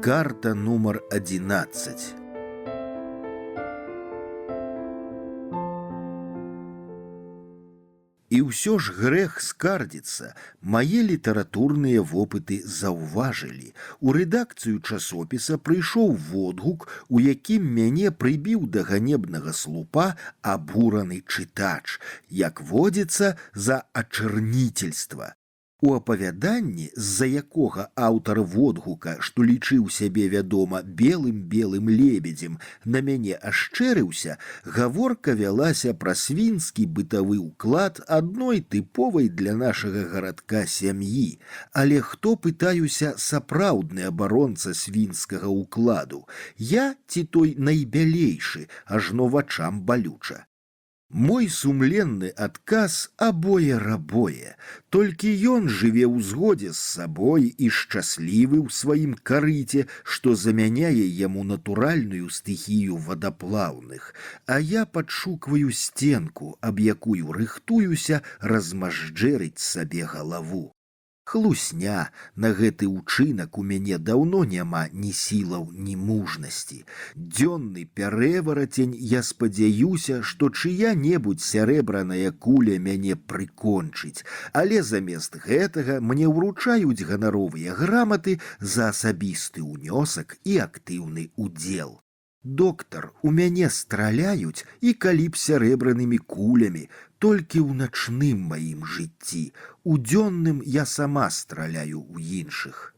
Карта нумар 11. І ўсё ж грэх скардзіцца. Мае літаратурныя вопыты заўважылі. У рэдакцыю часопіса прыйшоў водгук, у якім мяне прыбіў да ганебнага слупа абураны чытач, як водзіцца, за ачарніцельства. У апавяданні, з-за якога аўтар водгука, што лічыў сябе, вядома, белым лебедзем, на мяне ашчэрыўся, гаворка вялася пра свінскі бытавы ўклад адной тыповай для нашага гарадка сям'і. Але хто, пытаюся, сапраўдны абаронца свінскага ўкладу? Я ці той найбялейшы, ажно вачам балюча? Мой сумленны адказ абое-рабое. Толькі ён жыве ў згодзе з сабой і шчаслівы ў сваім карыце, што замяняе яму натуральную стыхію вадаплаўных. А я падшукваю сценку, аб якую рыхтуюся размажджэрыць сабе галаву. Хлусня, на гэты ўчынак у мяне даўно няма ні сілаў, ні мужнасці. Дзённы пярэварацень, я спадзяюся, што чыя-небудзь сярэбраная куля мяне прыкончыць, але замест гэтага мне ўручаюць ганаровыя граматы за асабісты ўнёсак і актыўны ўдзел. Доктар, у мяне страляюць і калі б сярэбранымі кулямі, толькі ў начным маім жыцці. У дзённым я сама страляю ў іншых.